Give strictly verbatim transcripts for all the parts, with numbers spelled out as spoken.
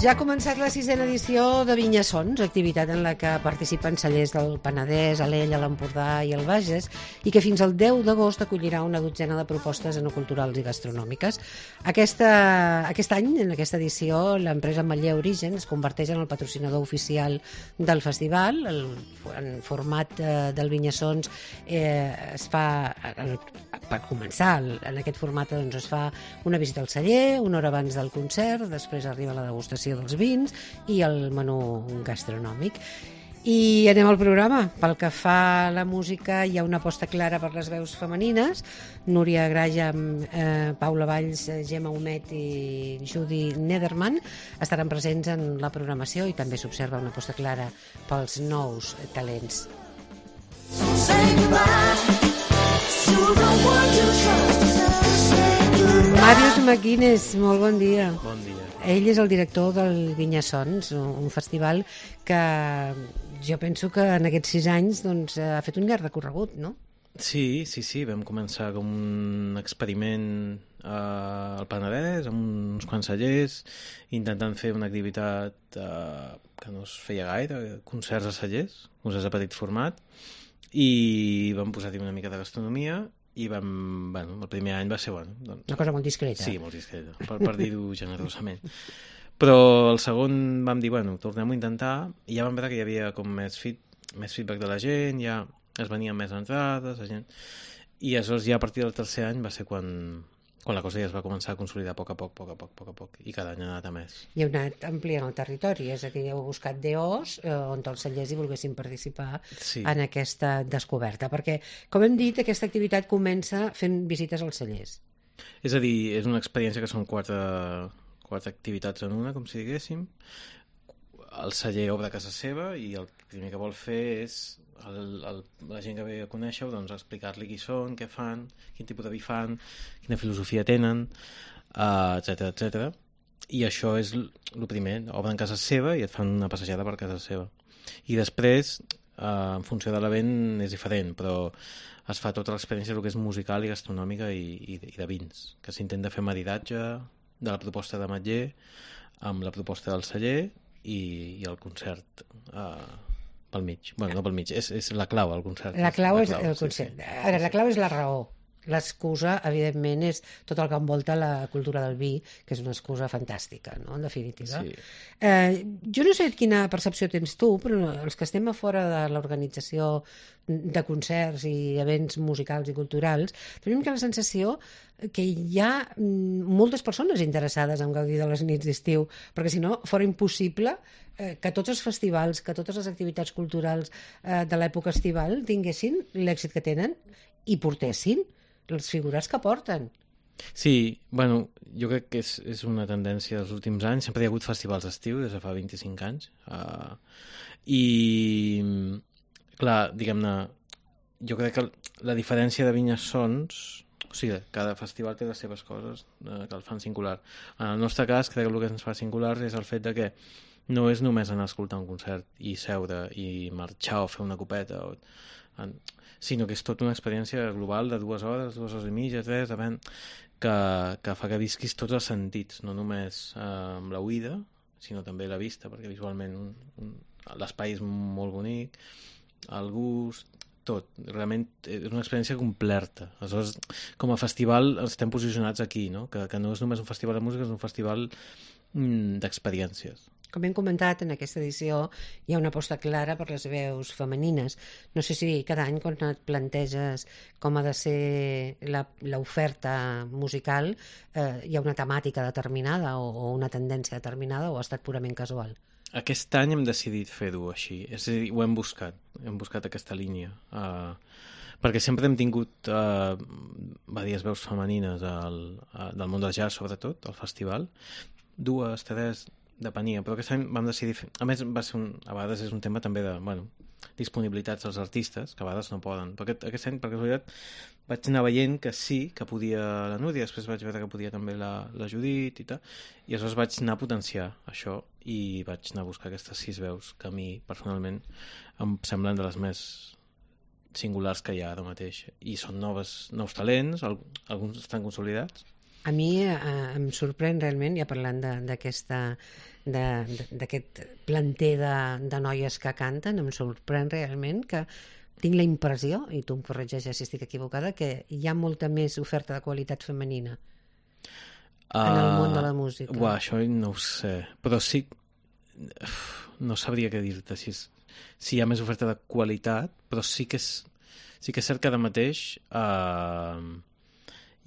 Ja ha començat la sisena edició de Vinyasons, activitat en la que participen cellers del Penedès, Alella, l'Empordà i el Bages, i que fins al deu d'agost acollirà una dotzena de propostes enoculturals i gastronòmiques. Aquesta, aquest any, en aquesta edició, l'empresa Ametller Origen es converteix en el patrocinador oficial del festival. El, en format eh, del Vinyasons eh, es fa, el, per començar, en aquest format doncs, es fa una visita al celler, una hora abans del concert, després arriba la degustació dels vins i el menú gastronòmic. I anem al programa. Pel que fa a la música, hi ha una aposta clara per les veus femenines. Núria Graja, eh, Paula Valls, Gemma Humet i Judy Nederman estaran presents en la programació i també s'observa una aposta clara pels nous talents. Màrius McGuinness, molt bon dia. Bon dia. Ell és el director del Vinyasons, un festival que jo penso que en aquests sis anys doncs, ha fet un llarg recorregut, no? Sí, sí, sí, vam començar com un experiment eh, al Penedès, amb uns quants cellers, intentant fer una activitat eh, que no es feia gaire, concerts a cellers, concerts de petit format, i vam posar-hi una mica de gastronomia, i vam, bueno, el primer any va ser, bueno... Doncs, una cosa molt discreta. Sí, molt discreta, per, per dir-ho generosament. Però el segon vam dir, bueno, tornem-ho a intentar, i ja vam veure que hi havia com més, feed, més feedback de la gent, ja es venien més entrades, la gent... I aleshores ja a partir del tercer any va ser quan, quan la cosa ja es va començar a consolidar a poc a poc, poc a poc, poc a poc, i cada any ha anat a més. I heu anat ampliant el territori, és a dir, heu buscat D Os eh, on els cellers hi volguessin participar sí. en aquesta descoberta, perquè, com hem dit, aquesta activitat comença fent visites als cellers. És a dir, és una experiència que són quatre, quatre activitats en una, com si diguéssim. El celler obre a casa seva i el primer que vol fer és el, el, la gent que ve a conèixer-ho, doncs explicar-li qui són, què fan, quin tipus de vi fan, quina filosofia tenen, uh, etcètera, etcètera. I això és el primer, obren casa seva i et fan una passejada per casa seva. I després, uh, en funció de l'event, és diferent, però es fa tota l'experiència del que és musical i gastronòmica i, i, i de vins, que s'intenta fer maridatge de la proposta d'Ametller amb la proposta del celler i, i el concert uh, pel mig. Bueno, no pel mig, és, és la clau, el concert. La clau la és clau, el concert. Sí, sí. Ara, la clau és la raó. L'excusa, evidentment, és tot el que envolta la cultura del vi, que és una excusa fantàstica, no?, en definitiva. Sí. Eh, jo no sé quina percepció tens tu, però els que estem a fora de l'organització de concerts i events musicals i culturals, tenim que la sensació que hi ha moltes persones interessades en gaudir de les nits d'estiu, perquè si no fora impossible eh, que tots els festivals, que totes les activitats culturals eh, de l'època estival tinguessin l'èxit que tenen i portessin les figures que porten. Sí, bueno, jo crec que és, és una tendència dels últims anys. Sempre hi ha hagut festivals d'estiu des de fa vint-i-cinc anys. Uh, I, clar, diguem-ne, jo crec que la diferència de Vinyasons, o sigui, cada festival té les seves coses uh, que el fan singular. En el nostre cas, crec que el que ens fa singular és el fet de que no és només anar a escoltar un concert i seure i marxar o fer una copeta, o, en, sinó que és tota una experiència global de dues hores, dues hores i mitja, tres, depèn, que, que fa que visquis tots els sentits, no només eh, amb la oïda, sinó també la vista, perquè visualment un, un, l'espai és molt bonic, el gust, tot. Realment és una experiència completa. Aleshores, com a festival estem posicionats aquí, no? Que, que no és només un festival de música, és un festival mm, d'experiències. Com hem comentat, en aquesta edició hi ha una aposta clara per les veus femenines. No sé si cada any, quan et planteges com ha de ser l'oferta musical, eh, hi ha una temàtica determinada o, o una tendència determinada, o ha estat purament casual? Aquest any hem decidit fer-ho així. És a dir, ho hem buscat. Hem buscat aquesta línia. Uh, perquè sempre hem tingut uh, diverses veus femenines al, uh, del món del jazz, sobretot, al festival. Dues, tres... depenia, però aquest any vam decidir fer... A més, va ser un... a vegades és un tema també de, bueno, disponibilitats dels artistes, que a vegades no poden. Però aquest, aquest any, per casualitat, vaig anar veient que sí, que podia la Núria, després vaig veure que podia també la, la Judit i tal, i aleshores vaig anar a potenciar això i vaig anar a buscar aquestes sis veus que a mi, personalment, em semblen de les més singulars que hi ha ara mateix. I són noves, nous talents, alguns estan consolidats, A mi eh, em sorprèn realment, ja parlant d'aquesta d'aquest planter de, de noies que canten, em sorprèn realment que tinc la impressió, i tu em corregeixes si estic equivocada, que hi ha molta més oferta de qualitat femenina uh, en el món de la música. Uah, això no ho sé, però sí, no sabria què dir-te si, si hi ha més oferta de qualitat, però sí que és, sí que és cert que ara mateix uh,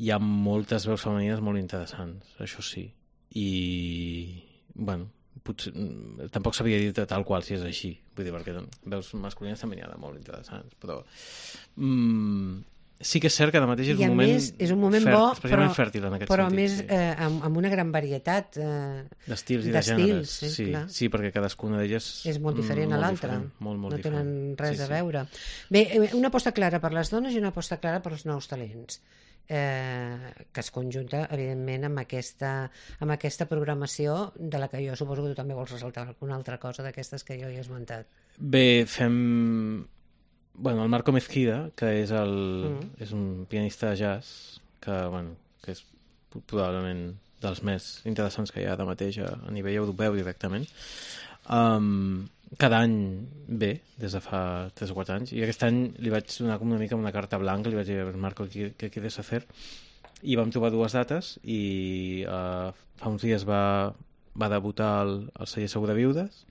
hi ha moltes veus femenines molt interessants, això sí. I, bueno, potser, tampoc sabria dir-te tal qual si és així, vull dir, perquè veus masculines també n'hi ha de molt interessants, però mm, sí que és cert que ara mateix és un moment, més, és un moment fert, bo, especialment però, fèrtil en aquest però sentit. Més sí. eh, amb, amb una gran varietat eh, d'estils i de gèneres. Sí, sí, sí, perquè cadascuna d'elles és molt diferent mm, a l'altra. Molt, molt no diferent. tenen res sí, a veure. Sí. Bé, una aposta clara per les dones i una aposta clara per els nous talents. Eh, que es conjunta evidentment amb aquesta, amb aquesta programació de la que jo suposo que tu també vols ressaltar alguna altra cosa d'aquestes que jo he esmentat. Bé, fem bueno, el Marco Mezquida, que és, el, mm. és un pianista de jazz que, bueno, que és probablement dels més interessants que hi ha ara mateix a, a nivell europeu directament. Um, cada any ve, des de fa tres o quatre anys, i aquest any li vaig donar com una mica una carta blanca, li vaig dir a Marco què quieres hacer, i vam trobar dues dates, i uh, fa uns dies va, va debutar el, el celler Sobreviudes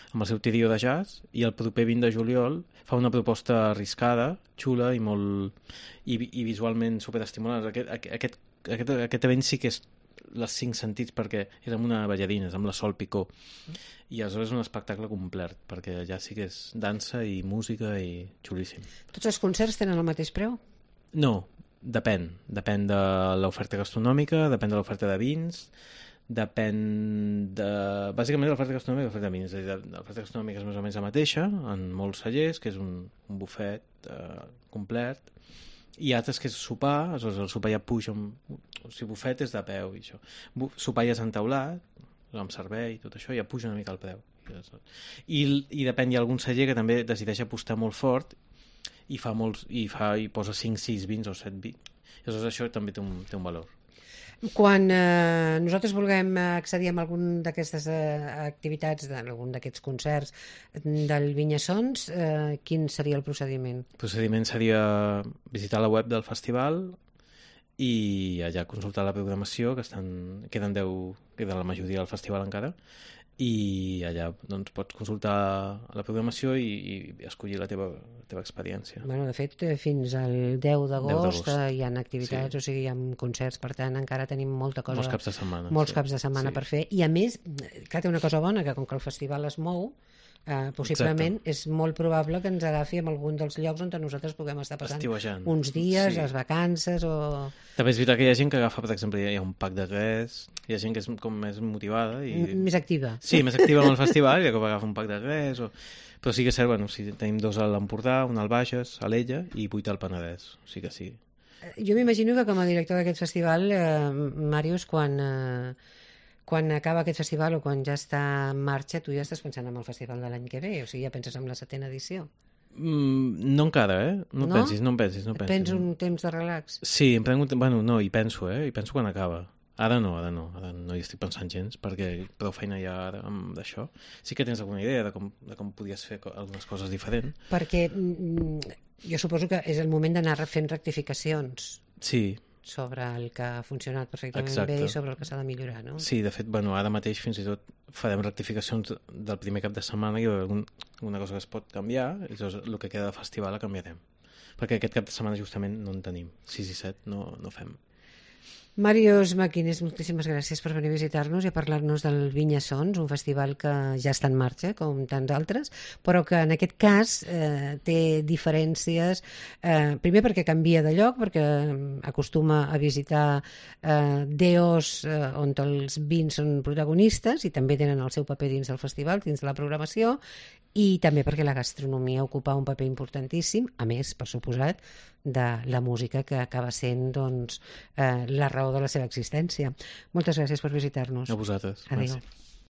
amb el seu trio de jazz, i el proper vint de juliol fa una proposta arriscada, xula i molt i, i visualment superestimulant. Aquest, aquest, aquest, aquest event sí que és les cinc sentits, perquè és amb una ballarina, és amb la Sol Picó, i aleshores és un espectacle complet, perquè allà sí que és dansa i música i xulíssim. Tots els concerts tenen el mateix preu? No, depèn. Depèn de l'oferta gastronòmica, depèn de l'oferta de vins, depèn de... Bàsicament l'oferta gastronòmica i l'oferta de vins. L'oferta gastronòmica és més o menys la mateixa, en molts cellers, que és un, un bufet eh, complet, i altres que és sopar, aleshores el sopar ja puja, o sigui, bufet és de peu i això. Sopar ja és entaulat, amb servei, tot això, ja puja una mica el preu. I, i depèn, hi ha algun celler que també decideix apostar molt fort i fa molts, i, fa, i posa cinc sis vins o set vins. I aleshores això també té un, té un valor. Quan eh, nosaltres vulguem accedir a algun d'aquestes eh, activitats, d'algun d'aquests concerts del Vinyassons, eh, quin seria el procediment? El procediment seria visitar la web del festival i allà consultar la programació, que estan, queden deu, queda la majoria del festival encara, i allà doncs, pots consultar la programació i, i escollir la teva, la teva experiència. Bueno, de fet, fins al deu d'agost hi ha activitats, sí. O sigui, hi ha concerts, per tant, encara tenim molta cosa... Molts caps de setmana. Molts sí. caps de setmana sí. per fer. I a més, clar, té una cosa bona, que com que el festival es mou, Uh, possiblement Exacte. És molt probable que ens agafi en algun dels llocs on nosaltres puguem estar passant Estiuejant. Uns dies, sí. les vacances o... També és veritat que hi ha gent que agafa, per exemple, hi ha un pack de res, hi ha gent que és com més motivada i... M més activa. Sí, més activa amb el festival, i que agafa un pack de res o... Però sí que és cert, bueno, sí, tenim dos a l'Empordà, un al Bages, a l'Ella i vuit al Penedès, o sigui que sí. Jo m'imagino que com a director d'aquest festival, eh, Màrius, quan... Eh, quan acaba aquest festival o quan ja està en marxa, tu ja estàs pensant en el festival de l'any que ve, o sigui, ja penses en la setena edició. Mm, no encara, eh? No, no? pensis, no em pensis, no pensis. Prens un temps de relax? Sí, em prenc un temps... Bueno, no, hi penso, eh? Hi penso quan acaba. Ara no, ara no, ara no hi estic pensant gens, perquè prou feina hi ha ara d'això. Sí que tens alguna idea de com, de com podies fer algunes coses diferents. Perquè mm, jo suposo que és el moment d'anar fent rectificacions. Sí, sobre el que ha funcionat perfectament Exacte. bé i sobre el que s'ha de millorar, no? Sí, de fet, bueno, ara mateix fins i tot farem rectificacions del primer cap de setmana i hi haurà algun, alguna cosa que es pot canviar, i llavors el que queda de festival la canviarem. Perquè aquest cap de setmana justament no en tenim. sis i set no, no fem. Màrius Maquinés, moltíssimes gràcies per venir a visitar-nos i a parlar-nos del Vinyassons, un festival que ja està en marxa, com tants altres, però que en aquest cas eh, té diferències, eh, primer perquè canvia de lloc, perquè acostuma a visitar eh, D Os eh, on els vins són protagonistes i també tenen el seu paper dins del festival, dins de la programació, i també perquè la gastronomia ocupa un paper importantíssim, a més, per suposat, de la música que acaba sent doncs, eh, la raó de la seva existència. Moltes gràcies per visitar-nos. A vosaltres. Adéu. Gràcies.